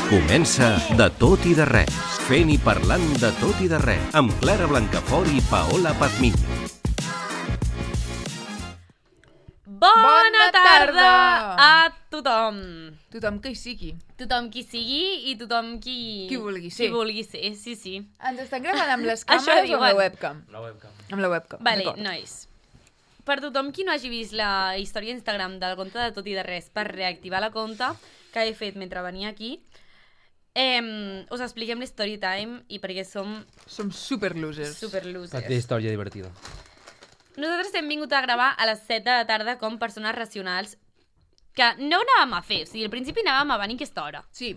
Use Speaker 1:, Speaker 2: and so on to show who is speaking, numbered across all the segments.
Speaker 1: Comença De tot i de res, fent i parlant de tot i de res, amb Clara Blancafort i Paola Pazmiño.
Speaker 2: Bona tarda a tothom.
Speaker 3: Tothom que hi sigui.
Speaker 2: Tothom qui sigui i tothom qui...
Speaker 3: Qui vulgui ser.
Speaker 2: Qui vulgui ser, sí, sí.
Speaker 3: Ens estan gravant amb les
Speaker 2: Això
Speaker 3: càmeres o amb la
Speaker 2: diuen.
Speaker 3: webcam? Amb la webcam.
Speaker 2: Vale,
Speaker 3: d'acord.
Speaker 2: nois. Per tothom qui no hagi vist la història d'Instagram del compte de Tot i de Res per reactivar la compte que he fet mentre venia aquí, us expliquem l'story time i perquè som
Speaker 3: Som super losers.
Speaker 2: super losers.
Speaker 4: Perquè història divertida.
Speaker 2: Nosaltres hem vingut a gravar a les 7 de la tarda com persones racionals que no anàvem a fer. O sigui, al principi anàvem a venir a aquesta hora.
Speaker 3: Sí.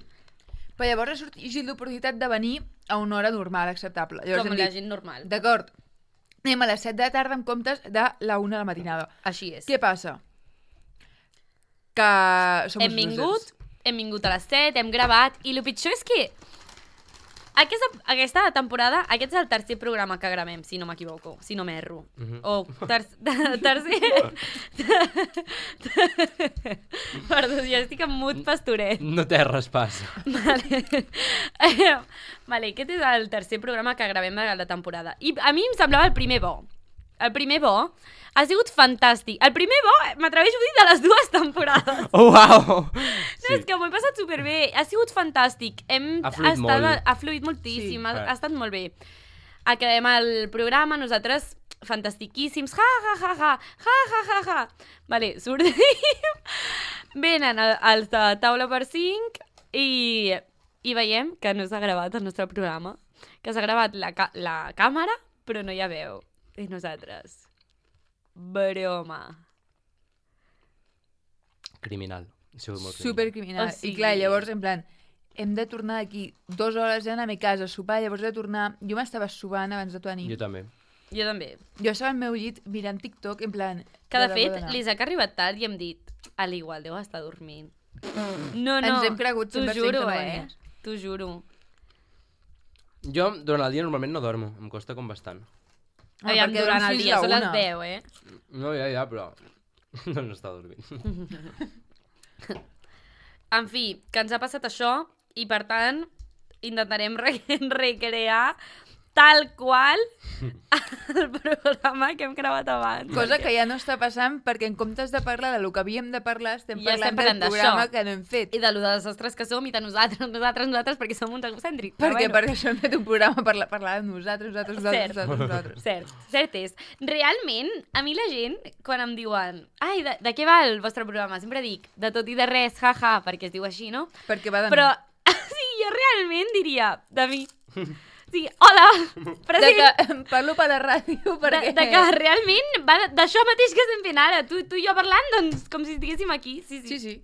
Speaker 3: Però llavors ha sorgit l'oportunitat de venir a una hora normal, acceptable. Llavors
Speaker 2: Com
Speaker 3: hem
Speaker 2: la
Speaker 3: dit,
Speaker 2: gent normal.
Speaker 3: d'acord, anem a les 7 de la tarda en comptes de la 1 de la matinada.
Speaker 2: Així és.
Speaker 3: Què passa? Que som
Speaker 2: Hem vingut a les 7, hem gravat, i el pitjor és que aquesta temporada, aquest és el tercer programa que gravem, si no m'equivoco, si no m'erro. O tercer... Perdó, ja estic en mood pastoret.
Speaker 4: No té res passa.
Speaker 2: Vale, aquest és el tercer programa que gravem de la temporada. I a mi em semblava el primer bo. El primer bo ha sigut fantàstic. El primer bo, m'atreveixo a dir, de les dues temporades.
Speaker 4: Oh, wow!
Speaker 2: No, és que m'ho he passat superbé. Ha sigut fantàstic.
Speaker 4: Ha fluït molt.
Speaker 2: Ha fluït moltíssim.
Speaker 3: Sí,
Speaker 2: ha estat molt bé. Acabem el programa, nosaltres fantastiquíssims. Ja, ja, ja, ja. Ja, ja, ja, ja. Vale, sortim. Venen els de taula per 5 i veiem que no s'ha gravat el nostre programa. Que s'ha gravat la càmera, però no hi ha veu. I nosaltres... Broma.
Speaker 4: Criminal. Ha sigut molt criminal.
Speaker 3: Supercriminal.
Speaker 2: O sigui-
Speaker 3: I clar, llavors, en plan, hem de tornar d'aquí 2 hores a anar a mi casa a sopar, llavors he de tornar... Jo m'estava sopant abans de tu venir.
Speaker 4: Jo també.
Speaker 2: Jo també.
Speaker 3: Jo estava al meu llit mirant TikTok, en plan...
Speaker 2: Que de
Speaker 3: debò
Speaker 2: fet,
Speaker 3: d'anar.
Speaker 2: l'Isaac ha arribat tard i hem dit a l'igual, deu estar dormint. No, no.
Speaker 3: Ens hem cregut
Speaker 2: T'ho
Speaker 3: 100%
Speaker 2: juro,
Speaker 3: que no venies.
Speaker 2: T'ho juro.
Speaker 4: Jo, durant el dia, normalment no dormo. Em costa com bastant.
Speaker 2: Aviam,
Speaker 3: perquè
Speaker 2: durant
Speaker 3: dorms
Speaker 2: el
Speaker 3: fins
Speaker 2: dia,
Speaker 3: la
Speaker 2: són les
Speaker 3: 1.
Speaker 2: 10,
Speaker 4: No, ja, però... No està dormint.
Speaker 2: En fi, que ens ha passat això i, per tant, intentarem recrear tal qual el programa que hem gravat abans.
Speaker 3: Cosa que ja no està passant perquè en comptes de parlar de lo que havíem de parlar estem
Speaker 2: Ja estem
Speaker 3: parlant del
Speaker 2: parlant
Speaker 3: programa
Speaker 2: d'això.
Speaker 3: que no hem fet.
Speaker 2: I de lo de desastres que som i de nosaltres, perquè som uns egocèntrics.
Speaker 3: Perquè això hem fet un programa per parlar de nosaltres.
Speaker 2: Cert és. Realment, a mi la gent, quan em diuen ai, de què va el vostre programa? Sempre dic, de tot i de res, jaja, perquè es diu així, no?
Speaker 3: Perquè va de
Speaker 2: Però, sí, jo realment diria, de mi. Sí, hola,
Speaker 3: de
Speaker 2: present.
Speaker 3: que parlo per la ràdio perquè...
Speaker 2: De que realment va d'això mateix que estem fent ara. Tu i jo parlant, doncs, com si estiguéssim aquí. Sí.
Speaker 3: Sí.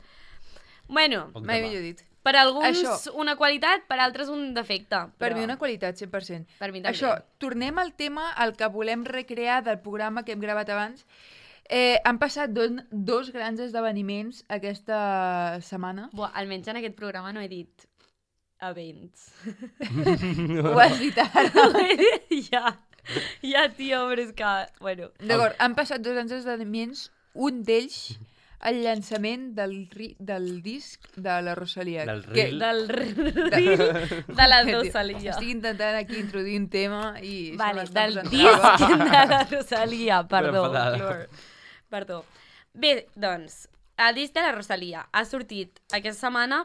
Speaker 2: Bueno,
Speaker 4: Poc
Speaker 3: Mai
Speaker 4: demà.
Speaker 3: millor dit.
Speaker 2: per alguns
Speaker 3: Això.
Speaker 2: una qualitat, per altres un defecte.
Speaker 3: Per
Speaker 2: però
Speaker 3: mi una qualitat, 100%.
Speaker 2: Per mi també.
Speaker 3: Això, tornem al tema al que volem recrear del programa que hem gravat abans. Han passat dos grans esdeveniments aquesta setmana.
Speaker 2: Buah, almenys en aquest programa no he dit events.
Speaker 3: Ho has dit ara.
Speaker 2: ja, tio, però és que... Bueno.
Speaker 3: D'acord, han passat 2 grans esdeveniments. Un d'ells, el llançament del disc de la Rosalia.
Speaker 4: Del
Speaker 3: que-
Speaker 4: reel.
Speaker 2: Del de la Rosalia.
Speaker 3: Estic intentant aquí introduir un tema i... se
Speaker 2: Vale,
Speaker 3: m'està
Speaker 2: del
Speaker 3: posant
Speaker 2: disc
Speaker 3: trava.
Speaker 2: de la Rosalia, perdó.
Speaker 4: enfadada.
Speaker 2: Clor. Perdó. Bé, doncs, el disc de la Rosalia ha sortit aquesta setmana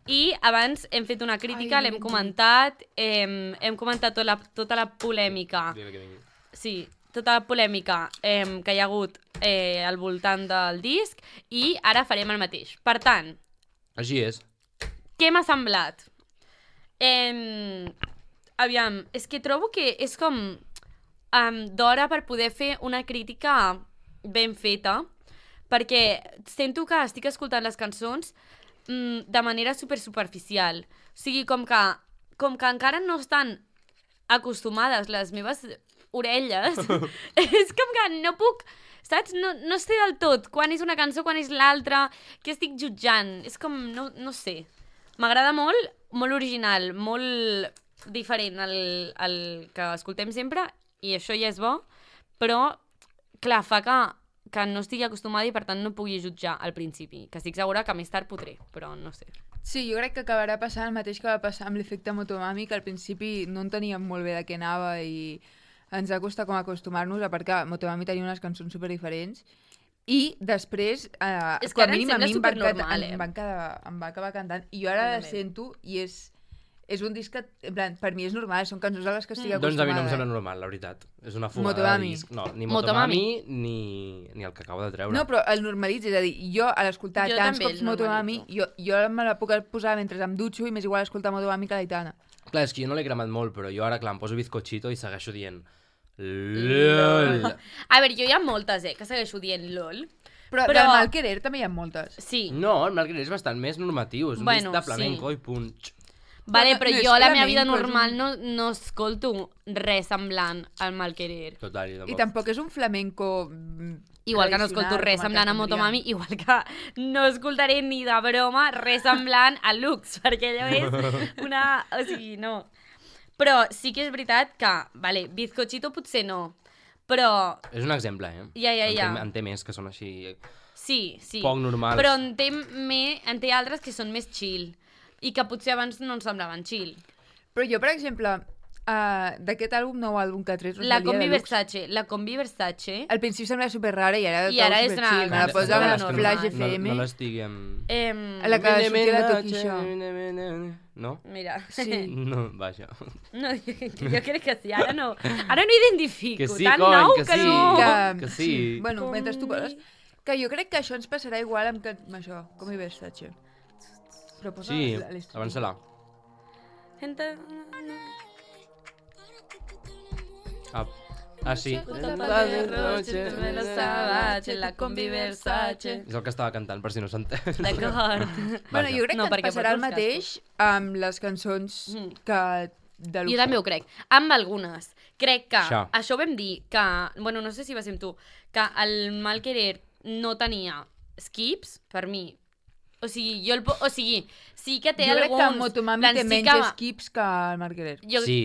Speaker 2: i abans hem fet una crítica,
Speaker 3: Ai,
Speaker 2: l'hem comentat, hem comentat tota la polèmica.
Speaker 4: Dime que vingui.
Speaker 2: Sí, tota la polèmica que hi ha hagut al voltant del disc i ara farem el mateix. Per tant,
Speaker 4: Així és.
Speaker 2: què m'ha semblat? Aviam, és que trobo que és com d'hora per poder fer una crítica ben feta, perquè sento que estic escoltant les cançons de manera superficial. O sigui, com que encara no estan acostumades les meves orelles, és com que no puc, saps? No sé del tot quan és una cançó, quan és l'altra, què estic jutjant. És com, no sé. M'agrada molt, molt original, molt diferent al que escoltem sempre, i això ja és bo, però, clar, fa que que no estigui acostumada i per tant no pugui jutjar al principi, que estic segura que més tard podré, però no sé.
Speaker 3: Sí, jo crec que acabarà passant el mateix que va passar amb l'efecte Motomami, que al principi no enteníem molt bé de què anava i ens va costar com acostumar-nos, a part que Motomami tenia unes cançons super diferents i després,
Speaker 2: És que
Speaker 3: com a
Speaker 2: ara em
Speaker 3: mínim a
Speaker 2: sembla
Speaker 3: mi
Speaker 2: supernormal,
Speaker 3: em va acabar cantant i jo ara la sento i és un disc que, en plan, per mi és normal, són cançons a les que estic acostumada.
Speaker 4: Doncs a mi no em sembla normal, la veritat. És una fumada
Speaker 3: Motomami.
Speaker 4: de disc. No, ni Motomami ni el que acabo de treure.
Speaker 3: No, però el normalitza, és a dir, jo a l'escoltar
Speaker 2: Jo
Speaker 3: tants
Speaker 2: també
Speaker 3: cops
Speaker 2: el
Speaker 3: Motomami, jo me la puc posar mentre em dutxo i m'és igual escoltar Motomami que l'Aitana.
Speaker 4: Clar, és que jo no l'he cremat molt, però jo ara, clar, em poso bizcochito i segueixo dient LOL.
Speaker 2: A veure, jo hi ha moltes, que segueixo dient LOL.
Speaker 3: Però del Mal Querer també hi ha moltes.
Speaker 2: Sí.
Speaker 4: No, el Marc és bastant més normatiu, és un disc de flamenco i punt.
Speaker 2: Vale, però
Speaker 3: no és
Speaker 2: jo a la meva vida
Speaker 3: flamenco,
Speaker 2: normal no escolto res semblant al Mal Querer.
Speaker 4: Total,
Speaker 3: I tampoc és un flamenco
Speaker 2: Igual que no escolto res semblant a Motomami, igual que no escoltaré ni de broma res semblant a Lux, perquè allò és una... O sigui, no. Però sí que és veritat que, vale, Bizcochito potser no, però...
Speaker 4: És un exemple,
Speaker 2: Ja.
Speaker 4: En té més que són així
Speaker 2: Sí.
Speaker 4: poc normals.
Speaker 2: Però en té altres que són més chill i que potser abans no ens semblaven chill.
Speaker 3: Però jo, per exemple, d'aquest nou àlbum que ha tret
Speaker 2: La
Speaker 3: Rosalía
Speaker 2: Combi Versace...
Speaker 3: al principi sembla super rara i ara
Speaker 2: és una...
Speaker 3: chill. Me la posa amb
Speaker 2: normal.
Speaker 3: el Flash FM.
Speaker 4: No l'estigui amb...
Speaker 3: La que sortia la Toquisha.
Speaker 4: No?
Speaker 2: Mira.
Speaker 3: Sí.
Speaker 4: No, vaja.
Speaker 2: No, jo crec que sí, ara no identifico.
Speaker 4: Que sí,
Speaker 2: tan
Speaker 4: cony,
Speaker 2: nou
Speaker 4: que
Speaker 2: que
Speaker 4: sí.
Speaker 2: no.
Speaker 4: Que sí.
Speaker 3: Bueno, mentre tu parles... Que jo crec que això ens passarà igual amb això, com hi Versace. Però posa
Speaker 4: Sí,
Speaker 3: l'estrella.
Speaker 4: avança-la. Sí.
Speaker 2: La Combi Versace.
Speaker 4: És el que estava cantant, per si no s'entén.
Speaker 2: D'acord.
Speaker 3: Bueno, jo crec
Speaker 2: No,
Speaker 3: que
Speaker 2: perquè
Speaker 3: ens passarà el
Speaker 2: porto els
Speaker 3: mateix amb les cançons que de
Speaker 2: Jo també ho crec. Amb algunes. Crec que
Speaker 4: Això.
Speaker 2: això ho vam dir, que, bueno, no sé si va ser amb tu, que el Mal Querer no tenia skips, per mi. O sigui, sí que té
Speaker 3: Jo crec
Speaker 2: alguns...
Speaker 3: que Motomami
Speaker 2: plan,
Speaker 3: té
Speaker 2: sí
Speaker 3: menys
Speaker 2: que-
Speaker 3: skips que el Marquerer.
Speaker 4: Sí.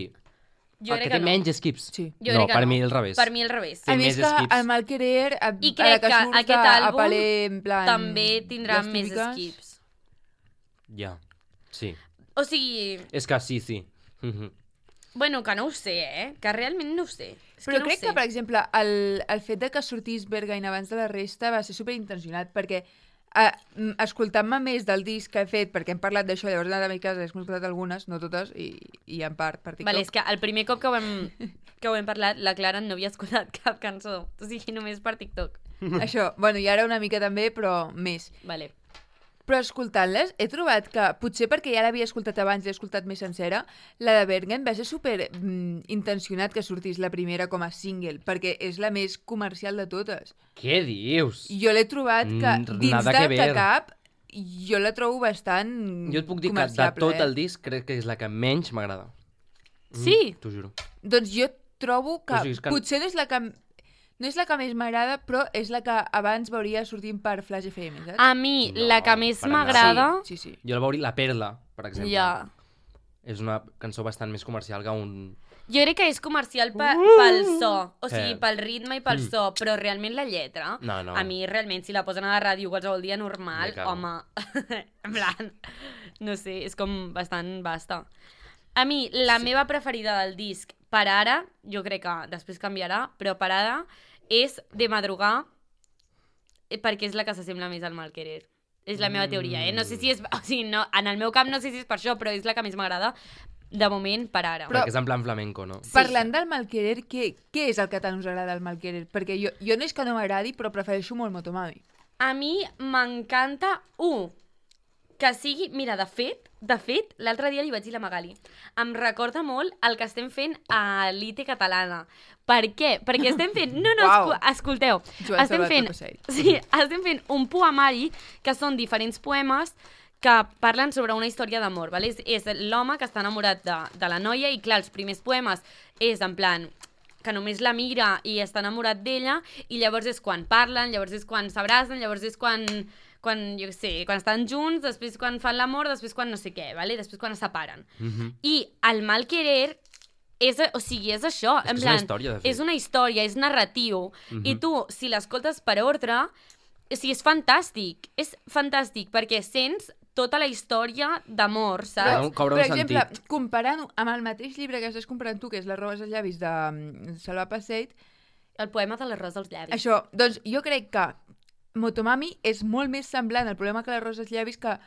Speaker 2: Jo
Speaker 4: El
Speaker 2: crec
Speaker 4: que té
Speaker 2: no.
Speaker 4: menys skips.
Speaker 3: Sí.
Speaker 2: Jo
Speaker 4: No,
Speaker 2: crec que
Speaker 4: per mi al revés.
Speaker 2: Per mi al revés.
Speaker 4: Té
Speaker 3: A més
Speaker 4: més
Speaker 3: que
Speaker 4: skips.
Speaker 3: el Malquerer, a
Speaker 2: I
Speaker 3: la
Speaker 2: crec
Speaker 3: que
Speaker 2: que
Speaker 3: surt
Speaker 2: aquest
Speaker 3: a
Speaker 2: àlbum
Speaker 3: Palais, en plan...
Speaker 2: també tindrà
Speaker 3: les
Speaker 2: més
Speaker 3: típiques.
Speaker 2: skips.
Speaker 4: Ja, sí.
Speaker 2: O sigui,
Speaker 4: És que sí.
Speaker 2: bueno, que no ho sé, que realment no ho sé. És
Speaker 3: Però
Speaker 2: que no
Speaker 3: crec
Speaker 2: ho sé.
Speaker 3: que, per exemple, el fet de que sortís Berghain abans de la resta va ser superintencionat, perquè escoltant-me més del disc que he fet, perquè hem parlat d'això, llavors he anat a mi casa, he escoltat algunes, no totes, i en part per TikTok.
Speaker 2: Vale, és que el primer cop que ho hem parlat, la Clara no havia escoltat cap cançó. O sigui, només per TikTok.
Speaker 3: Això, bueno, i ara una mica també, però més.
Speaker 2: Vale.
Speaker 3: Però escoltant-les, he trobat que, potser perquè ja l'havia escoltat abans i l'he escoltat més sencera, la de Berghain va ser super intencionat que sortís la primera com a single, perquè és la més comercial de totes.
Speaker 4: Què dius?
Speaker 3: I jo l'he trobat que, dins
Speaker 4: nada
Speaker 3: del
Speaker 4: que
Speaker 3: que
Speaker 4: ver.
Speaker 3: cap, jo la trobo bastant
Speaker 4: Jo et puc dir que de
Speaker 3: comerciable,
Speaker 4: tot el disc crec que és la que menys m'agrada.
Speaker 2: Sí?
Speaker 4: T'ho juro.
Speaker 3: Doncs jo trobo que,
Speaker 4: O sigui, és que-
Speaker 3: potser no és la que més m'agrada, però és la que abans veuria sortint per Flash FM, saps?
Speaker 2: A mi,
Speaker 4: No,
Speaker 2: la que més
Speaker 4: per anar.
Speaker 2: m'agrada...
Speaker 3: Sí.
Speaker 4: Jo la veuré La Perla, per exemple.
Speaker 2: Ja.
Speaker 4: És una cançó bastant més comercial que un...
Speaker 2: Jo crec que és comercial pel so, o sigui,
Speaker 4: Sí.
Speaker 2: pel ritme i pel so, però realment la lletra,
Speaker 4: No.
Speaker 2: a mi realment, si la posen a la ràdio qualsevol dia normal,
Speaker 4: Me cago.
Speaker 2: home, en plan, no sé, és com bastant basta. A mi, la meva preferida del disc, per ara, jo crec que després canviarà, però per ara, és De Madrugar, perquè és la que s'assembla més al Mal Querer. És la meva teoria, No sé si és... O sigui, no, en el meu cap no sé si és per això, però és la que més m'agrada, de moment, per ara.
Speaker 3: Però-
Speaker 4: Perquè és en plan flamenco, no?
Speaker 2: Sí.
Speaker 3: Parlant del Malquerer, què és el que tant us agrada del Malquerer? Perquè jo no és que no m'agradi, però prefereixo molt Motomami.
Speaker 2: A mi m'encanta, que sigui... Mira, de fet, l'altre dia li vaig dir a la Magali, em recorda molt el que estem fent a l'ITE catalana. Per què? Perquè estem fent... No,
Speaker 3: Uau.
Speaker 2: escolteu.
Speaker 3: Joan
Speaker 2: Estem
Speaker 3: Sabat,
Speaker 2: fent,
Speaker 3: no passeig.
Speaker 2: sí, estem fent un poemari que són diferents poemes que parlen sobre una història d'amor, ¿vale? És l'home que està enamorat de la noia i, clar, els primers poemes és en plan que només la mira i està enamorat d'ella i llavors és quan parlen, llavors és quan s'abracen, llavors és quan jo què sé, quan estan junts, després quan fan l'amor, després quan no sé què, ¿vale? Després quan es separen. I el Mal Querer o sigui, és això.
Speaker 4: És que és una història, de fet.
Speaker 2: És una història, és narratiu. I tu, si l'escoltes per ordre, o sigui, és fantàstic. És fantàstic, perquè sents tota la història d'amor, saps?
Speaker 4: Cobra
Speaker 3: Per
Speaker 4: un
Speaker 3: exemple,
Speaker 4: sentit.
Speaker 3: comparant-ho amb el mateix llibre que estàs comparant tu, que és Les robes als llavis de Salva Passeig,
Speaker 2: El poema de l'arròs dels llavis.
Speaker 3: això, doncs jo crec que Motomami és molt més semblant al problema que Les robes als llavis que...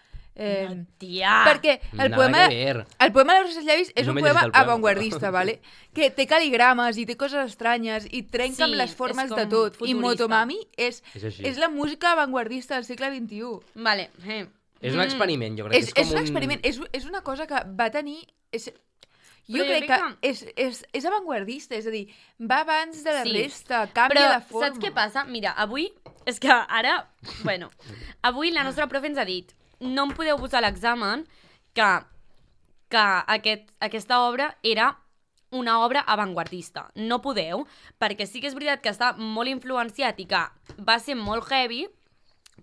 Speaker 2: Tia!
Speaker 3: Perquè el poema
Speaker 4: que ver.
Speaker 3: de Les robes als llavis és
Speaker 4: No
Speaker 3: un
Speaker 4: m'he
Speaker 3: poema
Speaker 4: llegit el poema.
Speaker 3: avantguardista, ¿vale? Que té caligrames i té coses estranyes i trenca amb les formes
Speaker 2: és
Speaker 3: de
Speaker 2: com
Speaker 3: tot. I
Speaker 2: futurista.
Speaker 3: Motomami és
Speaker 4: així.
Speaker 3: la música avantguardista del segle XXI.
Speaker 2: Vale.
Speaker 4: És un experiment, jo crec.
Speaker 3: És
Speaker 4: que és com
Speaker 3: un experiment, és una cosa que va tenir... Jo
Speaker 2: Però
Speaker 3: crec que és avantguardista, és a dir, va abans de la
Speaker 2: Sí.
Speaker 3: resta, canvia
Speaker 2: Però
Speaker 3: la forma.
Speaker 2: saps què passa? Mira, avui... És que ara... Bueno, avui la nostra profe ens ha dit no em podeu posar a l'examen que aquesta obra era una obra avantguardista. No podeu, perquè sí que és veritat que està molt influenciat i que va ser molt heavy,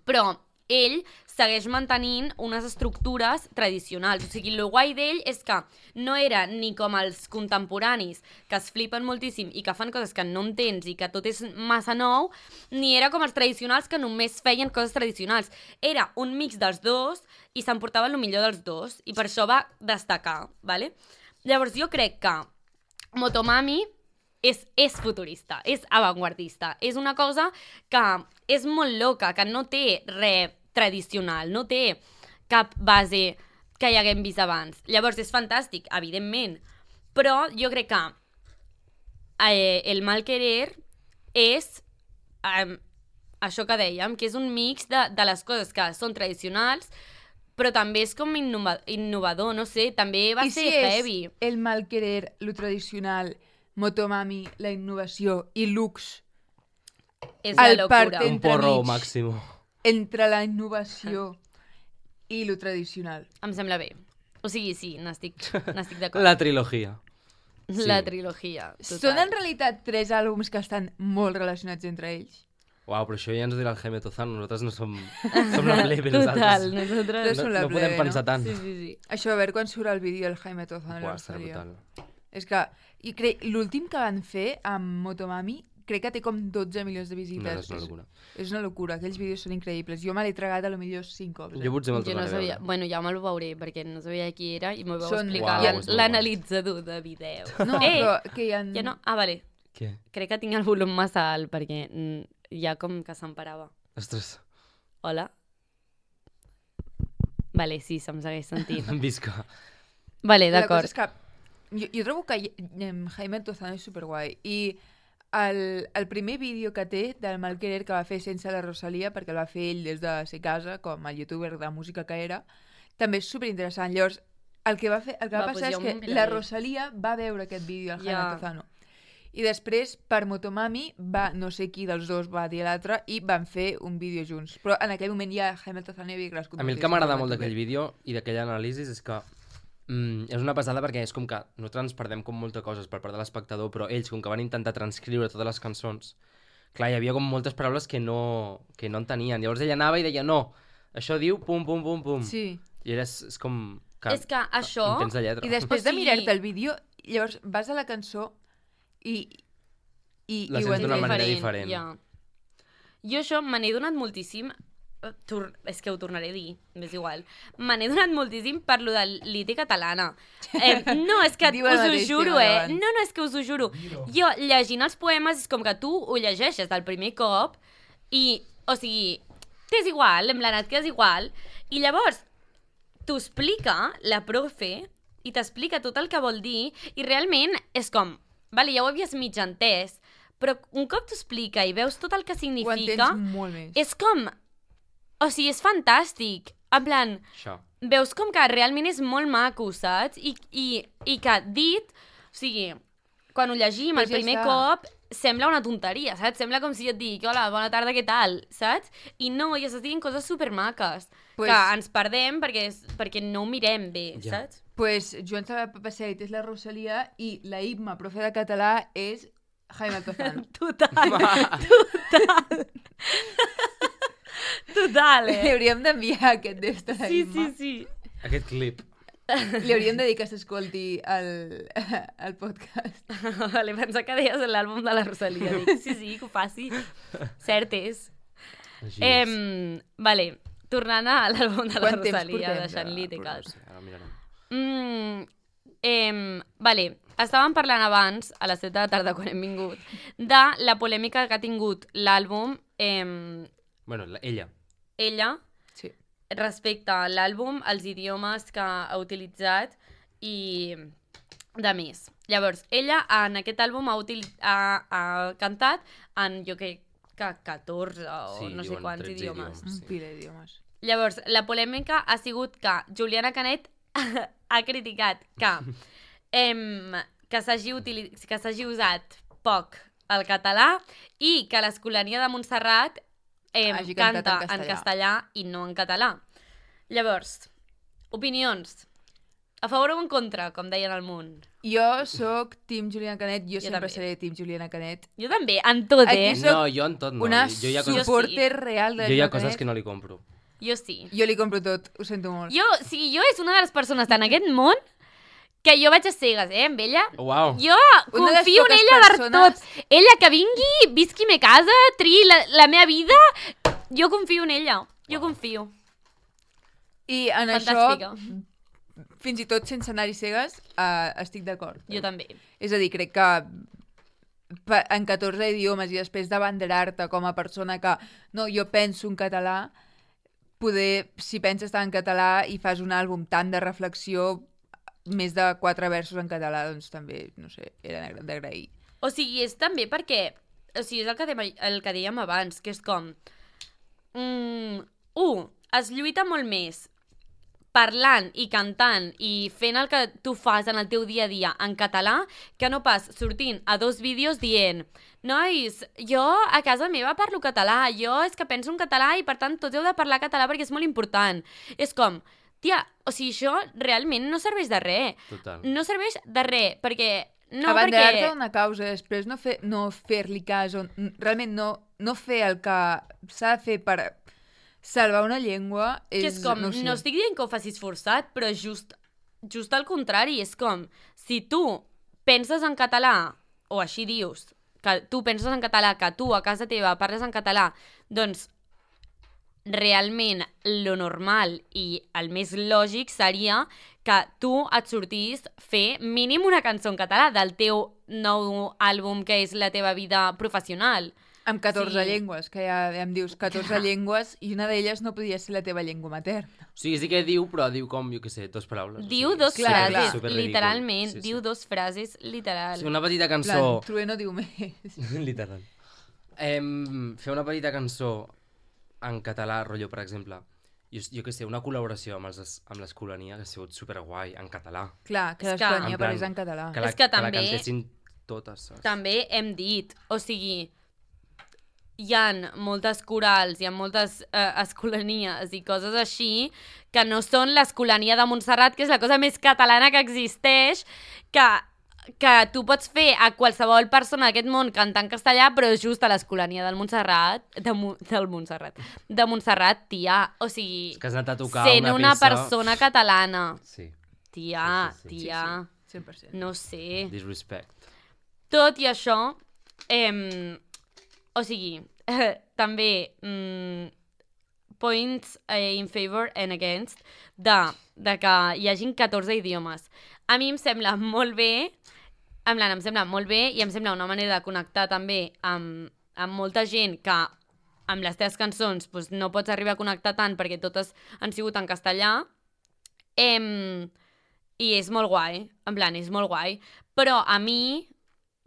Speaker 2: però ell segueix mantenint unes estructures tradicionals. O sigui, el guai d'ell és que no era ni com els contemporanis, que es flipen moltíssim i que fan coses que no entens i que tot és massa nou, ni era com els tradicionals que només feien coses tradicionals. Era un mix dels dos i s'emportava el millor dels dos i per això va destacar, ¿vale? Llavors jo crec que Motomami és futurista, és avantguardista. És una cosa que és molt loca, que no té res tradicional, no té cap base que hi haguem vist abans. Llavors és fantàstic, evidentment, però jo crec que el mal querer és això que dèiem, que és un mix de les coses que són tradicionals, però també és com innovador, no sé, també va ser heavy.
Speaker 3: I si és el mal querer, lo tradicional, Motomami, la innovació i Lux,
Speaker 2: És la
Speaker 3: el
Speaker 2: locura.
Speaker 3: part
Speaker 4: Un porro
Speaker 3: entremig.
Speaker 4: màximo.
Speaker 3: entre la innovació i lo tradicional.
Speaker 2: Em sembla bé. O sigui, sí, n'estic d'acord.
Speaker 4: La trilogia.
Speaker 2: La
Speaker 4: sí.
Speaker 2: trilogia. Total.
Speaker 3: Són en realitat 3 àlbums que estan molt relacionats entre ells.
Speaker 4: Uau, però això ja ens ho dirà el Jaime Tozano. Nosaltres no som la plebe,
Speaker 2: Total,
Speaker 4: nosaltres.
Speaker 2: nosaltres...
Speaker 3: Són la
Speaker 4: No
Speaker 3: plebe,
Speaker 4: podem pensar
Speaker 3: no?
Speaker 4: tant.
Speaker 2: Sí, sí, sí.
Speaker 3: Això, a veure quan surt el vídeo del Jaime Tozano.
Speaker 4: Uau, estarà brutal.
Speaker 3: És que l'últim que van fer amb Motomami crec que té com 12 milions de
Speaker 4: No,
Speaker 3: visites.
Speaker 4: és una locura.
Speaker 3: És una locura, aquells vídeos són increïbles. Jo me l'he tragat a lo millor 5 cops.
Speaker 4: Jo potser me'l
Speaker 2: Jo no
Speaker 4: tornaré a
Speaker 2: sabia...
Speaker 4: veure.
Speaker 2: Bueno, ja me'l veuré, perquè no sabia qui era i m'ho vau
Speaker 3: Són-
Speaker 2: explicar
Speaker 4: Uau, és molt
Speaker 2: l'analitzador de vídeo.
Speaker 3: No, però que hi ha...
Speaker 2: Ja no... Ah, vale.
Speaker 4: Què?
Speaker 2: Crec que tinc el volum massa alt, perquè ja com que s'emparava.
Speaker 4: Ostres,
Speaker 2: Hola? Vale, sí, se'm segueix sentint.
Speaker 4: visca.
Speaker 2: Vale,
Speaker 3: La cosa
Speaker 2: d'acord.
Speaker 3: és que jo trobo que Jaime Tozano és superguai. I el primer vídeo que té del mal querer que va fer sense la Rosalia, perquè el va fer ell des de ser casa, com a youtuber de música que era, també és superinteressant. Llavors, el que va
Speaker 2: Va,
Speaker 3: passar
Speaker 2: doncs jo
Speaker 3: és
Speaker 2: m'ho
Speaker 3: que
Speaker 2: miraré.
Speaker 3: la Rosalia va veure aquest vídeo, el Jaime
Speaker 2: Ja.
Speaker 3: Tozano. I després, per Motomami, no sé qui dels dos va dir a l'altre, i van fer un vídeo junts. Però en aquell moment ja Jaime Tozano havia crescut.
Speaker 4: A mi el que m'agrada molt d'aquell vídeo i d'aquell anàlisi és que és una passada perquè és com que nosaltres ens perdem com moltes coses per part de l'espectador, però ells, com que van intentar transcriure totes les cançons, clar, hi havia com moltes paraules que no entenien. Llavors ell anava i deia, no, això diu pum, pum, pum, pum.
Speaker 3: Sí.
Speaker 4: I és com...
Speaker 2: És que això...
Speaker 4: Intents de lletra.
Speaker 3: I després
Speaker 2: O sigui-
Speaker 3: de mirar-te el vídeo, llavors vas a la cançó i
Speaker 4: La
Speaker 3: ho
Speaker 4: sents d'una
Speaker 3: entens.
Speaker 4: manera diferent.
Speaker 2: Ja. Jo això me n'he donat moltíssim... És que ho tornaré a dir, m'és igual. Me n'he donat moltíssim per lo de l'IT catalana. No, és que
Speaker 3: Diu el
Speaker 2: us ho
Speaker 3: mateix
Speaker 2: juro,
Speaker 3: tema d'abans.
Speaker 2: No, és que us ho juro. Jo, llegint els poemes, és com que tu ho llegeixes del primer cop i, o sigui, t'és igual, en plan, et quedes igual. I llavors, t'ho explica la profe i t'explica tot el que vol dir i realment és com, vale, ja ho havies mig entès, però un cop t'ho explica i veus tot el que
Speaker 3: Ho
Speaker 2: significa,
Speaker 3: entens molt més.
Speaker 2: és com... O sigui, és fantàstic. En plan,
Speaker 4: Això.
Speaker 2: veus com que realment és molt maco, saps? I que dit... O sigui, quan ho llegim
Speaker 3: Pues
Speaker 2: el primer
Speaker 3: ja està.
Speaker 2: cop, sembla una tonteria, saps? Sembla com si jo et dic, hola, bona tarda, què tal? Saps? I no, i estàs dient coses supermaques.
Speaker 3: Pues-
Speaker 2: Que ens perdem perquè no ho mirem bé,
Speaker 4: Ja.
Speaker 2: saps?
Speaker 3: Pues Joan Sabà Passeig és la Rosalia i la Imma, profe de català, és Jaime Tozano.
Speaker 2: Total. Total,
Speaker 3: Li hauríem d'enviar aquest d'esta
Speaker 2: Sí,
Speaker 3: Imma.
Speaker 2: sí, sí.
Speaker 4: Aquest clip.
Speaker 3: Li hauríem de dir que s'escolti el podcast.
Speaker 2: Vale, pensa que deies l'àlbum de la Rosalia. Dic, sí, que ho faci. Cert és.
Speaker 4: Així és.
Speaker 2: Vale, tornant a l'àlbum de la
Speaker 3: Quant temps
Speaker 2: Rosalia,
Speaker 3: portem
Speaker 2: deixant-li
Speaker 3: de
Speaker 2: té cas.
Speaker 4: No sé, ara mirarem.
Speaker 2: Vale, estàvem parlant abans, a les 7 de la tarda, quan hem vingut, de la polèmica que ha tingut l'àlbum
Speaker 4: Bueno, ella.
Speaker 2: Ella,
Speaker 3: Sí.
Speaker 2: respecte a l'àlbum, els idiomes que ha utilitzat i de més. Llavors, ella en aquest àlbum ha cantat en, jo crec que 14 o
Speaker 4: Sí,
Speaker 2: no sé
Speaker 4: diuen
Speaker 2: quants
Speaker 4: 13
Speaker 2: idiomes.
Speaker 4: idiomes.
Speaker 3: Un pila d'idiomes.
Speaker 2: Llavors, la polèmica ha sigut que Juliana Canet ha criticat que s'hagi usat poc el català i que l'Escolania de Montserrat
Speaker 3: Hagi cantat
Speaker 2: canta
Speaker 3: en
Speaker 2: en
Speaker 3: castellà.
Speaker 2: castellà i no en català. Llavors, opinions. A favor o en contra, com deien al Munt?
Speaker 3: Jo sóc Team Juliana Canet, jo sempre
Speaker 2: també.
Speaker 3: seré Team Juliana Canet.
Speaker 2: Jo també, en tot,
Speaker 3: Aquí soc
Speaker 4: No, jo en tot no.
Speaker 3: Una
Speaker 4: Jo hi ha coses,
Speaker 3: supporter real de
Speaker 4: jo hi ha
Speaker 3: Juliana
Speaker 4: coses
Speaker 3: Canet.
Speaker 4: que no li compro.
Speaker 2: Jo sí.
Speaker 3: Jo li compro tot, ho sento molt.
Speaker 2: Jo és una de les persones en aquest món que jo vaig a cegues, amb ella.
Speaker 4: Uau.
Speaker 2: Jo
Speaker 3: Una de les
Speaker 2: confio en
Speaker 3: poques
Speaker 2: ella per
Speaker 3: persones-
Speaker 2: tot. Ella que vingui, visqui me casa, triï la meva vida, jo confio en ella. Jo confio.
Speaker 3: I en
Speaker 2: Fantàstica.
Speaker 3: això, fins i tot sense anar-hi cegues, estic d'acord.
Speaker 2: Jo també.
Speaker 3: És a dir, crec que en 14 idiomes i després d'abanderar-te com a persona que no, jo penso en català, poder, si penses tant en català i fas un àlbum tant de reflexió, més de 4 versos en català, doncs també, no sé, era d'agrair.
Speaker 2: O sigui, és també perquè... O sigui, és el que dèiem abans, que és com... Es lluita molt més parlant i cantant i fent el que tu fas en el teu dia a dia en català, que no pas sortint a 2 vídeos dient nois, jo a casa meva parlo català, jo és que penso en català i per tant tots heu de parlar català perquè és molt important. És com, tia, o sigui, això realment no serveix de res.
Speaker 4: Total.
Speaker 2: No serveix de res, perquè... No,
Speaker 3: Abanderar-te
Speaker 2: perquè...
Speaker 3: d'una causa, després no fer-li cas, o realment no fer el que s'ha de fer per salvar una llengua és...
Speaker 2: Que és com,
Speaker 3: no, ho sé.
Speaker 2: no estic dient que ho facis forçat, però just al contrari, és com, si tu penses en català, o així dius, que tu penses en català, que tu a casa teva parles en català, doncs realment lo normal i el més lògic seria que tu et sortís fer mínim una cançó en català del teu nou àlbum que és la teva vida professional.
Speaker 3: Amb 14
Speaker 2: Sí.
Speaker 3: llengües, que ja em dius 14 llengües i una d'elles no podia ser la teva llengua materna.
Speaker 4: O sigui, sí que diu, però diu com, jo què sé, 2 paraules.
Speaker 2: Diu
Speaker 4: o sigui,
Speaker 2: 2
Speaker 3: clar,
Speaker 2: frases,
Speaker 3: clar.
Speaker 4: superridícul.
Speaker 2: literalment,
Speaker 4: Sí, sí.
Speaker 2: diu 2 frases, literal.
Speaker 4: Sí, una petita
Speaker 3: En plan,
Speaker 4: cançó...
Speaker 3: Trueno diu més.
Speaker 4: Literal. Fer una petita cançó en català, rotllo, per exemple, jo què sé, una col·laboració amb l'Escolania, que ha sigut superguai, en català.
Speaker 3: Clar, que
Speaker 2: És que-
Speaker 3: l'Escolania
Speaker 4: En plan,
Speaker 3: parlés en català.
Speaker 2: És que
Speaker 4: que la
Speaker 2: també-
Speaker 4: cantessin totes, saps?
Speaker 2: També hem dit, o sigui, hi ha moltes corals, hi ha moltes escolanies i coses així que no són l'Escolania de Montserrat, que és la cosa més catalana que existeix, que tu pots fer a qualsevol persona d'aquest món cantar en castellà, però just a l'Escolania del Montserrat, de Montserrat, tia, o sigui,
Speaker 4: És que has anat a tocar
Speaker 2: sent
Speaker 4: una
Speaker 2: una
Speaker 4: peça...
Speaker 2: persona catalana,
Speaker 4: Sí,
Speaker 2: tia,
Speaker 4: Sí, sí, sí.
Speaker 2: tia,
Speaker 3: 100%.
Speaker 2: no sé...
Speaker 4: disrespect.
Speaker 2: Tot i això, o sigui, també points in favor and against de que hi hagin 14 idiomes. A mi em sembla molt bé, em sembla molt bé i em sembla una manera de connectar també amb molta gent que amb les teves cançons doncs, no pots arribar a connectar tant perquè totes han sigut en castellà. I és molt guai, en plan, és molt guai. Però a mi,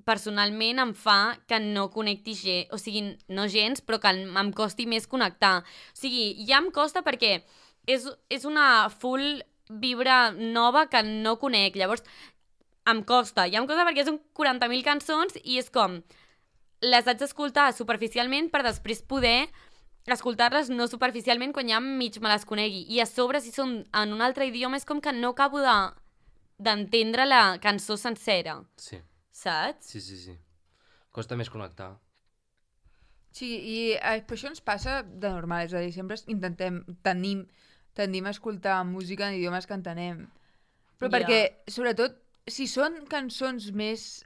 Speaker 2: personalment, em fa que no connecti gens, o sigui, no gens, però que em costi més connectar. O sigui, ja em costa perquè és una full vibra nova que no conec. Llavors, em costa perquè són 40.000 cançons i és com, les haig d'escoltar superficialment per després poder escoltar-les no superficialment quan ja mig me les conegui. I a sobre, si són en un altre idioma, és com que no acabo d'entendre la cançó sencera.
Speaker 4: Sí,
Speaker 2: Saps?
Speaker 4: sí. Costa més connectar.
Speaker 3: Sí, i per això ens passa de normal, és a dir, sempre tendim a escoltar música en idiomes que entenem. Però perquè, sobretot, si són cançons més...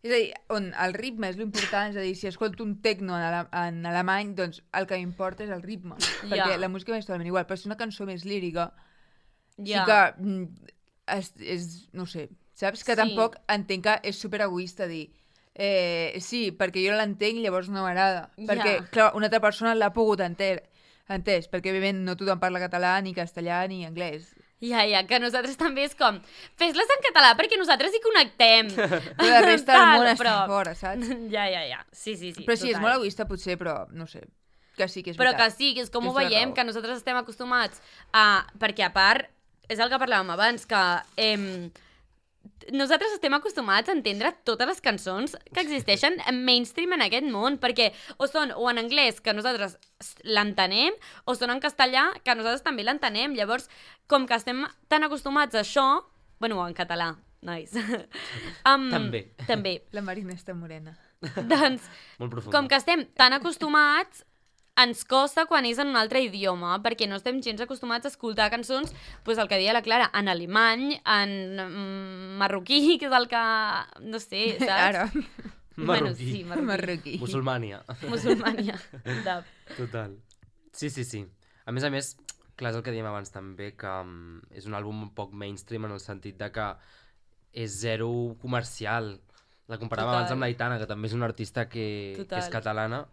Speaker 3: és a dir, on el ritme és l'important, és a dir, si escolto un techno en alemany, doncs el que m'importa és el ritme, perquè la música m'és totalment igual, però si una cançó més lírica, sí que no sé, saps? Que tampoc entenc que és superegoista dir sí, perquè jo l'entenc, llavors no m'agrada, perquè, clar, una altra persona l'ha pogut entès, perquè, òbviament, no tothom parla català, ni castellà, ni anglès.
Speaker 2: Que nosaltres també és com... Fes-les en català perquè nosaltres hi connectem.
Speaker 3: Però la resta del món està fora, saps?
Speaker 2: Ja. Sí.
Speaker 3: Però sí, és molt egoista potser, però no sé. Que sí que és veritat.
Speaker 2: Però que sí, que és com ho veiem, que nosaltres estem acostumats a... Perquè a part, és el que parlàvem abans, que... nosaltres estem acostumats a entendre totes les cançons que existeixen en mainstream en aquest món, perquè o són o en anglès, que nosaltres l'entenem, o són en castellà, que nosaltres també l'entenem. Llavors, com que estem tan acostumats a això... Bueno, en català, nice. També.
Speaker 3: La Marina està morena.
Speaker 2: Doncs,
Speaker 4: molt profunda.
Speaker 2: com que estem tan acostumats, ens costa quan és en un altre idioma, perquè no estem gens acostumats a escoltar cançons, doncs el que deia la Clara, en alemany, en marroquí, que és el que... No sé, saps?
Speaker 3: Ara.
Speaker 4: Marroquí.
Speaker 2: Bueno, sí,
Speaker 3: Marroquí.
Speaker 4: Musulmània. Total. Sí. A més, clar, és el que dèiem abans també, que és un àlbum un poc mainstream en el sentit de que és zero comercial. La comparàvem abans amb l'Aitana, que també és una artista que és catalana,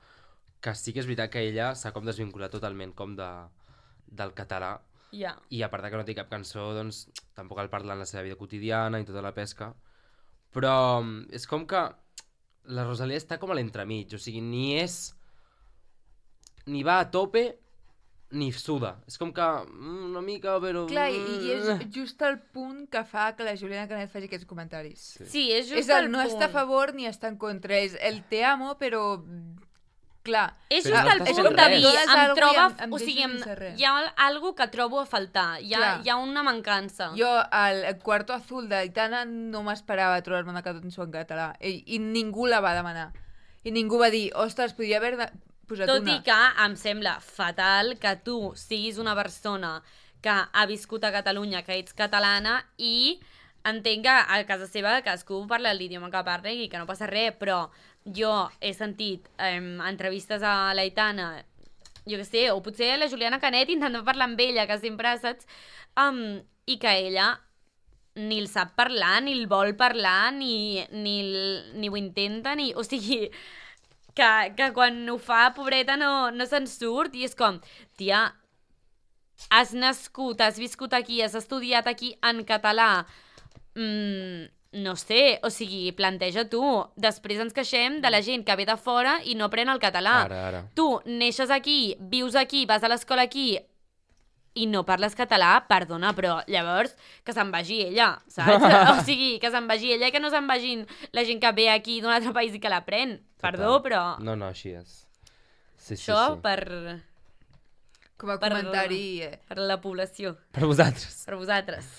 Speaker 4: que sí que és veritat que ella s'ha com desvinculat totalment com del català. I a part que no té cap cançó, doncs tampoc el parla en la seva vida quotidiana i tota la pesca. Però és com que la Rosalía està com a l'entremig, o sigui, ni va a tope ni suda. És com que una mica, però...
Speaker 3: Clar, i és just el punt que fa que la Juliana Canet faci aquests comentaris.
Speaker 2: Sí, és just
Speaker 3: el punt. No està a favor ni està en contra, és el te amo, però... Clar.
Speaker 2: És just el punt de dir, em troba... O sigui, hi ha algo que trobo a faltar, hi ha una mancança.
Speaker 3: Jo, al Cuarto Azul d'Aitana, no m'esperava trobar-me una cançó en català, i ningú la va demanar. I ningú va dir, ostres, podria haver posat una.
Speaker 2: Tot i que em sembla fatal que tu siguis una persona que ha viscut a Catalunya, que ets catalana, i entenc que a casa seva cadascú parla l'idioma que parla i que no passa res, però jo he sentit entrevistes a l'Aitana, jo què sé, o potser a la Juliana Canet intentant parlar amb ella, que sempre saps, i que ella ni el sap parlar, ni el vol parlar, ni ho intenta, o sigui, que quan ho fa, pobreta, no se'n surt, i és com, tia, has nascut, has viscut aquí, has estudiat aquí en català, no sé, o sigui, planteja tu. Després ens queixem de la gent que ve de fora i no aprèn el català.
Speaker 4: Ara.
Speaker 2: Tu neixes aquí, vius aquí, vas a l'escola aquí i no parles català, perdona, però llavors que se'n vagi ella, saps? O sigui, que se'n vagi ella i que no se'n vagin la gent que ve aquí d'un altre país i que l'aprèn. Perdó, però...
Speaker 4: No, així és. Sí,
Speaker 2: això
Speaker 4: sí.
Speaker 2: Per...
Speaker 3: Com a comentari...
Speaker 2: Per la població.
Speaker 4: Per vosaltres.
Speaker 2: Per vosaltres.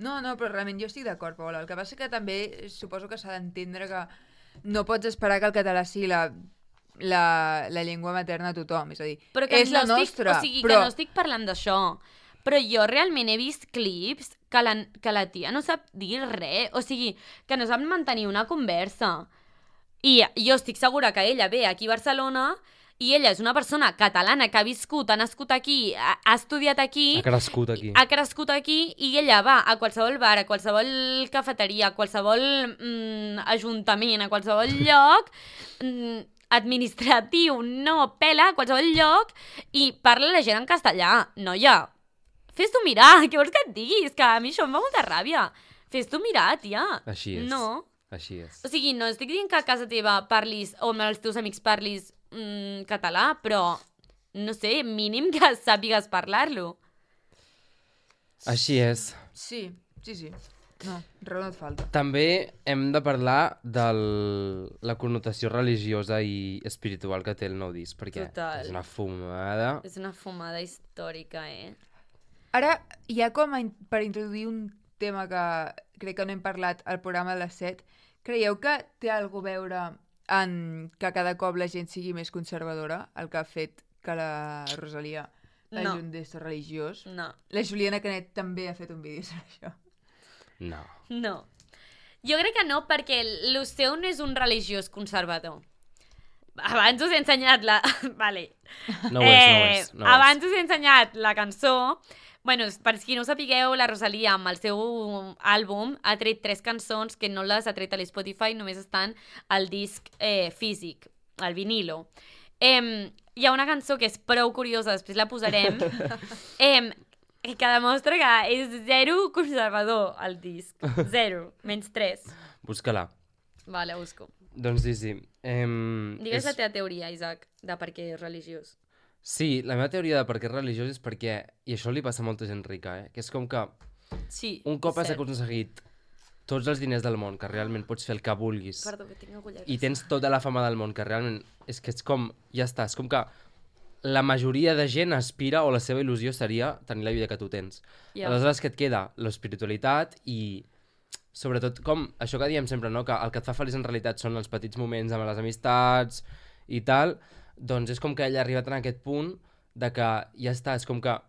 Speaker 3: No, però realment jo estic d'acord, Paola. El que passa que també suposo que s'ha d'entendre que no pots esperar que el català sigui la llengua materna a tothom, és a dir,
Speaker 2: però que
Speaker 3: és la nostra.
Speaker 2: O sigui, que no estic parlant d'això, però jo realment he vist clips que la tia no sap dir res, o sigui, que no sap mantenir una conversa. I jo estic segura que ella ve aquí a Barcelona i ella és una persona catalana que ha viscut, ha nascut aquí, ha estudiat aquí...
Speaker 4: Ha crescut aquí.
Speaker 2: Ha crescut aquí i ella va a qualsevol bar, a qualsevol cafeteria, a qualsevol ajuntament, a qualsevol lloc administratiu, no pela, a qualsevol lloc, i parla la gent en castellà. Noia, fes-t'ho mirar, què vols que et diguis? Que a mi això em fa molta ràbia. Fes-t'ho mirar, tia.
Speaker 4: Així és.
Speaker 2: No.
Speaker 4: Així és.
Speaker 2: O sigui, no estic dient que a casa teva parlis, o amb els teus amics parlis català, però, no sé, mínim que sàpigues parlar-lo.
Speaker 4: Així és.
Speaker 3: Sí. No, raó no et falta.
Speaker 4: També hem de parlar de la connotació religiosa i espiritual que té el nou disc, perquè és una fumada.
Speaker 2: És una fumada històrica,
Speaker 3: Ara, ja com per introduir un tema que crec que no hem parlat al programa de les 7, creieu que té alguna a veure en que cada cop la gent sigui més conservadora, el que ha fet que la Rosalía hagi un d'ésser religiós?
Speaker 2: No.
Speaker 3: La Juliana Canet també ha fet un vídeo sobre això.
Speaker 4: No.
Speaker 2: No. Jo crec que no, perquè el seu no és un religiós conservador. Abans us he ensenyat la... Vale.
Speaker 4: No ho és.
Speaker 2: Abans us he ensenyat la cançó. Bueno, per qui no ho sapigueu, la Rosalia amb el seu àlbum ha tret 3 cançons que no les ha tret a l'Spotify, només estan al disc físic, al vinilo. Hi ha una cançó que és prou curiosa, després la posarem, que demostra que és zero conservador el disc. 0, -3.
Speaker 4: Busca-la.
Speaker 2: Vale, busco.
Speaker 4: Doncs sí.
Speaker 2: Digues la teva teoria, Isaac, de per què és religiós.
Speaker 4: Sí, la meva teoria de per què és religiós és perquè, i això li passa a molta gent rica, que és com que
Speaker 2: Sí,
Speaker 4: un cop has
Speaker 2: cert.
Speaker 4: aconseguit tots els diners del món, que realment pots fer el que vulguis,
Speaker 2: Perdó, que tinc agulleres.
Speaker 4: i tens tota la fama del món, que realment és que és com, ja està, és com que la majoria de gent aspira, o la seva il·lusió seria tenir la vida que tu tens.
Speaker 2: Ja.
Speaker 4: Aleshores, què et queda? L'espiritualitat i, sobretot, com això que diem sempre, no? Que el que et fa feliç en realitat són els petits moments amb les amistats i tal, doncs és com que ell ha arribat en aquest punt de que ja està, és com que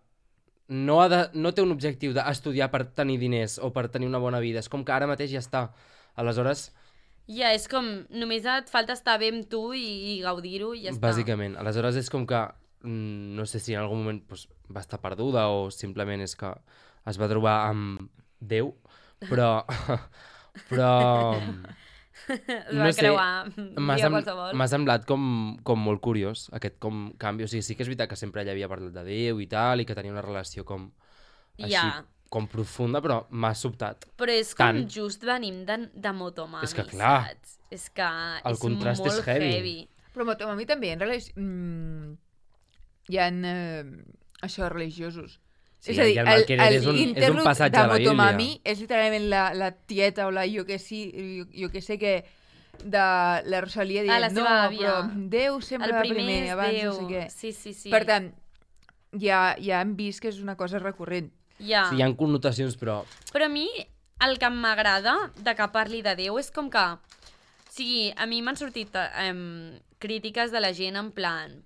Speaker 4: no té un objectiu d'estudiar per tenir diners o per tenir una bona vida, és com que ara mateix ja està. Aleshores,
Speaker 2: Ja, és com, només et falta estar bé amb tu i gaudir-ho i ja està.
Speaker 4: bàsicament, aleshores és com que no sé si en algun moment doncs, va estar perduda o simplement és que es va trobar amb Déu, però
Speaker 2: Es
Speaker 4: no
Speaker 2: va
Speaker 4: sé,
Speaker 2: creuar
Speaker 4: m'ha
Speaker 2: dia qualsevol.
Speaker 4: semblat com molt curiós aquest com canvi, o sigui, sí que és veritat que sempre ella havia parlat de Déu i tal, i que tenia una relació com així,
Speaker 2: Ja.
Speaker 4: com profunda, però m'ha sobtat.
Speaker 2: Però és com
Speaker 4: Tant.
Speaker 2: just venim de Motomami,
Speaker 4: És que clar,
Speaker 2: saps? És que
Speaker 4: el
Speaker 2: és
Speaker 4: contrast
Speaker 2: molt
Speaker 4: és heavy.
Speaker 3: Però Motomami també, en realitat, hi ha això, religiosos.
Speaker 4: Sí,
Speaker 3: és a dir,
Speaker 4: i el Malquerer és un
Speaker 3: interlude
Speaker 4: passatge de la Bíblia.
Speaker 3: Motomami és literalment la tieta o la jo que sé que de la Rosalia dient,
Speaker 2: la
Speaker 3: no,
Speaker 2: seva àvia.
Speaker 3: però Déu sempre
Speaker 2: El
Speaker 3: va
Speaker 2: primer
Speaker 3: primer,
Speaker 2: és
Speaker 3: abans
Speaker 2: Déu.
Speaker 3: no sé què.
Speaker 2: Sí.
Speaker 3: Per tant, ja hem vist que és una cosa recurrent.
Speaker 2: Ja.
Speaker 4: Sí, hi ha connotacions, però
Speaker 2: Però a mi el que m'agrada de que parli de Déu és com que... O sigui, a mi m'han sortit crítiques de la gent en plan,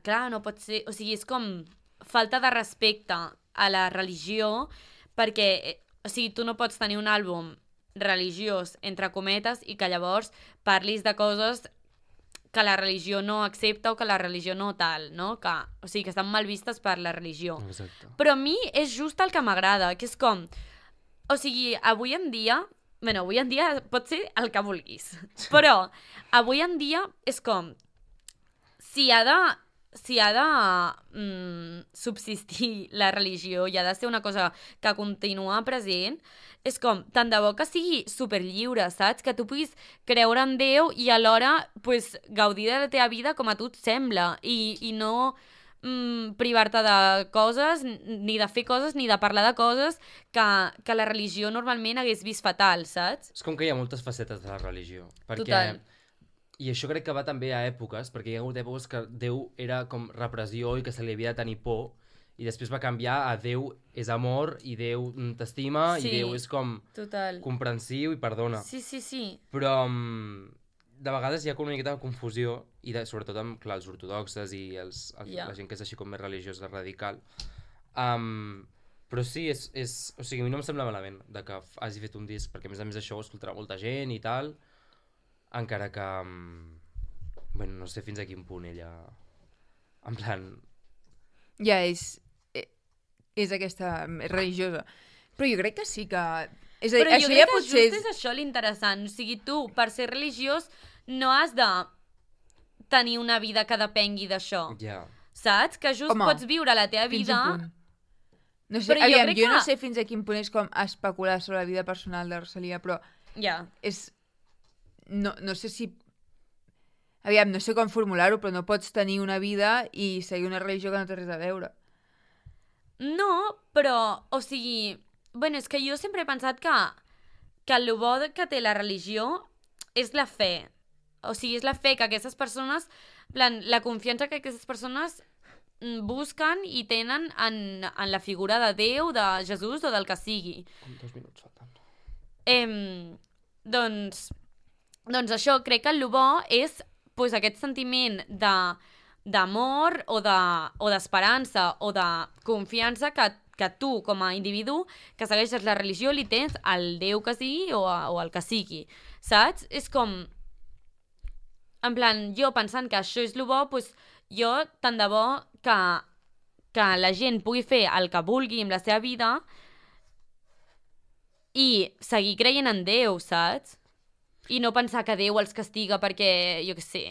Speaker 2: clar, no pot ser... O sigui, és com falta de respecte a la religió perquè, o sigui, tu no pots tenir un àlbum religiós, entre cometes, i que llavors parlis de coses que la religió no accepta o que la religió no tal, no? Que, o sigui, que estan mal vistes per la religió.
Speaker 4: exacte.
Speaker 2: Però a mi és just el que m'agrada, que és com... O sigui, avui en dia pot ser el que vulguis, però avui en dia és com... Si ha de subsistir la religió i ha de ser una cosa que continua present, és com, tant de bo que sigui superlliure, saps? Que tu puguis creure en Déu i alhora pues, gaudir de la teva vida com a tu et sembla i no privar-te de coses, ni de fer coses, ni de parlar de coses que la religió normalment hagués vist fatal, saps?
Speaker 4: És com que hi ha moltes facetes de la religió. Perquè,
Speaker 2: Total.
Speaker 4: I això crec que va també a èpoques, perquè hi ha hagut èpoques que Déu era com repressió i que se li havia de tenir por, i després va canviar a Déu és amor, i Déu t'estima,
Speaker 2: Sí.
Speaker 4: i Déu és com
Speaker 2: Total.
Speaker 4: comprensiu i perdona.
Speaker 2: Sí.
Speaker 4: Però de vegades hi ha com una miqueta de confusió, i sobretot amb clar, els ortodoxes i
Speaker 2: Ja.
Speaker 4: la gent que és així com més religiosa, radical. Però sí, o sigui, a mi no em sembla malament de que hagi fet un disc, perquè a més això ho escoltarà molta gent i tal, encara que bueno, no sé fins a quin punt ella en plan
Speaker 3: Ja és aquesta religiosa. Però jo crec que sí que... És a dir,
Speaker 2: Però jo
Speaker 3: això
Speaker 2: crec
Speaker 3: ja
Speaker 2: que
Speaker 3: potser
Speaker 2: just és això l'interessant. O sigui, tu, per ser religiós, no has de tenir una vida que depengui d'això.
Speaker 4: ja.
Speaker 2: Saps? Que just
Speaker 3: Home,
Speaker 2: pots viure la teva
Speaker 3: fins
Speaker 2: vida...
Speaker 3: a un punt. No sé,
Speaker 2: Però jo
Speaker 3: aviam,
Speaker 2: crec
Speaker 3: jo no
Speaker 2: que-
Speaker 3: sé fins a quin punt és com especular sobre la vida personal de Rosalia, però
Speaker 2: Ja.
Speaker 3: és... No sé si... Aviam, no sé com formular-ho, però no pots tenir una vida i seguir una religió que no té res a veure.
Speaker 2: No, però, o sigui... Bueno, és que jo sempre he pensat que el bo que té la religió és la fe. O sigui, és la fe que aquestes persones... En plan, la confiança que aquestes persones busquen i tenen en la figura de Déu, de Jesús o del que sigui.
Speaker 4: Com 2 minuts faltant.
Speaker 2: Doncs això, crec que el bo és pues, aquest sentiment d'amor o d'esperança o de confiança que que tu, com a individu, que segueixes la religió, li tens al Déu que sigui o el que sigui, saps? És com... En plan, jo pensant que això és el bo, doncs jo tant de bo que la gent pugui fer el que vulgui amb la seva vida i seguir creient en Déu, saps? I no pensar que Déu els castiga perquè, jo què sé...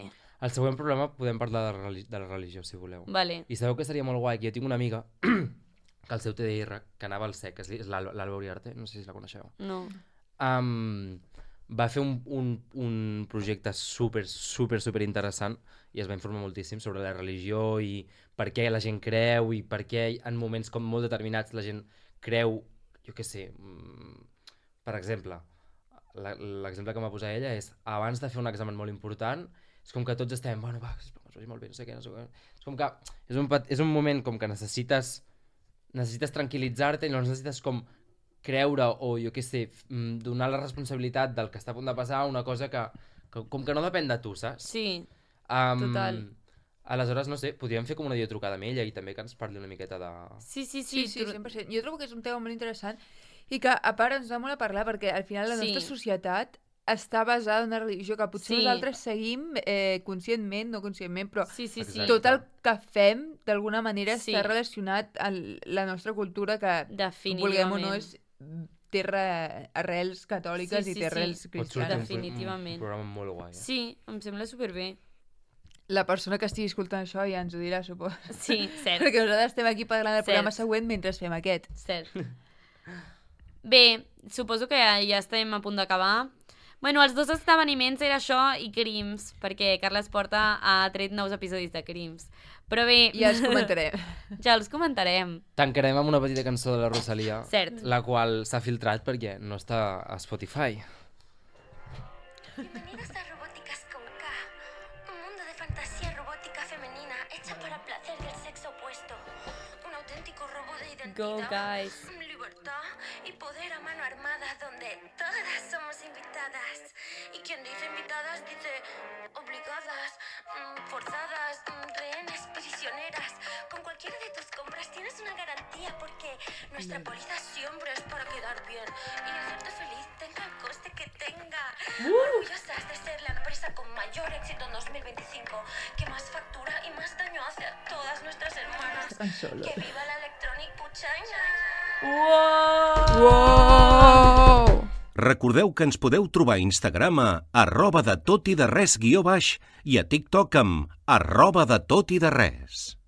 Speaker 4: Al següent programa podem parlar de la religió, si voleu.
Speaker 2: Vale.
Speaker 4: I sabeu que seria molt guai, que jo tinc una amiga que el seu TDR, que anava al SEC, és l'Alba Uriarte, no sé si la coneixeu.
Speaker 2: No.
Speaker 4: Va fer un projecte super interessant i es va informar moltíssim sobre la religió i per què la gent creu i per què en moments com molt determinats la gent creu, jo què sé, per exemple, l'exemple que m'ha posat ella és abans de fer un examen molt important és com que tots estem, bueno, va, que es vagi molt bé, no sé què. És com que és un moment com que necessites tranquil·litzar-te i no necessites com creure o, jo què sé, donar la responsabilitat del que està a punt de passar a una cosa que com que no depèn de tu, saps?
Speaker 2: Sí, total.
Speaker 4: Aleshores, no sé, podríem fer com una videotrucada amb ella i també que ens parli una miqueta de...
Speaker 2: Sí,
Speaker 3: 100%. Jo trobo que és un tema molt interessant i que, a part, ens dona molt a parlar perquè al final la nostra societat està basada en una religió que potser nosaltres seguim conscientment, no conscientment, però tot el que fem d'alguna manera està relacionat amb la nostra cultura que, vulguem o no, té arrels catòliques i té arrels cristianes.
Speaker 2: Definitivament.
Speaker 4: Un programa molt guai.
Speaker 2: Sí, em sembla superbé.
Speaker 3: La persona que estigui escoltant això ja ens ho dirà, suposo.
Speaker 2: Sí, cert.
Speaker 3: Perquè nosaltres estem aquí parlant del programa següent mentre fem aquest.
Speaker 2: Cert. Bé, suposo que ja estem a punt d'acabar. Bueno, els dos esdeveniments era això i Crims, perquè Carles Porta ha tret nous episodis de Crims. Però bé...
Speaker 3: Ja els comentarem.
Speaker 2: Ja els comentarem.
Speaker 4: Tancarem amb una petita cançó de la Rosalía,
Speaker 2: Cert.
Speaker 4: La qual s'ha filtrat perquè no està a Spotify.
Speaker 5: Bienvenidos a Robóticas con K, un mundo de fantasía robótica femenina hecha para el placer del sexo opuesto. Un auténtico robo de identidad,
Speaker 2: Go, guys.
Speaker 5: Libertad y poder a mano armada donde todas somos invitadas. Y quien dice invitadas dice obligadas, forzadas, rehenes, prisioneras. Con cualquiera de tus compras tienes una garantía porque nuestra póliza siempre es para quedar bien y hacerte feliz tenga el coste que tenga. Orgullosas de ser la empresa con mayor éxito en 2025, que más factura y más daño hace a todas nuestras hermanas. Que viva la Electronic Puchaina!
Speaker 3: Wow!
Speaker 1: Recordeu que ens podeu trobar a Instagram a @detotideres_ i a TikTok amb @detotideres.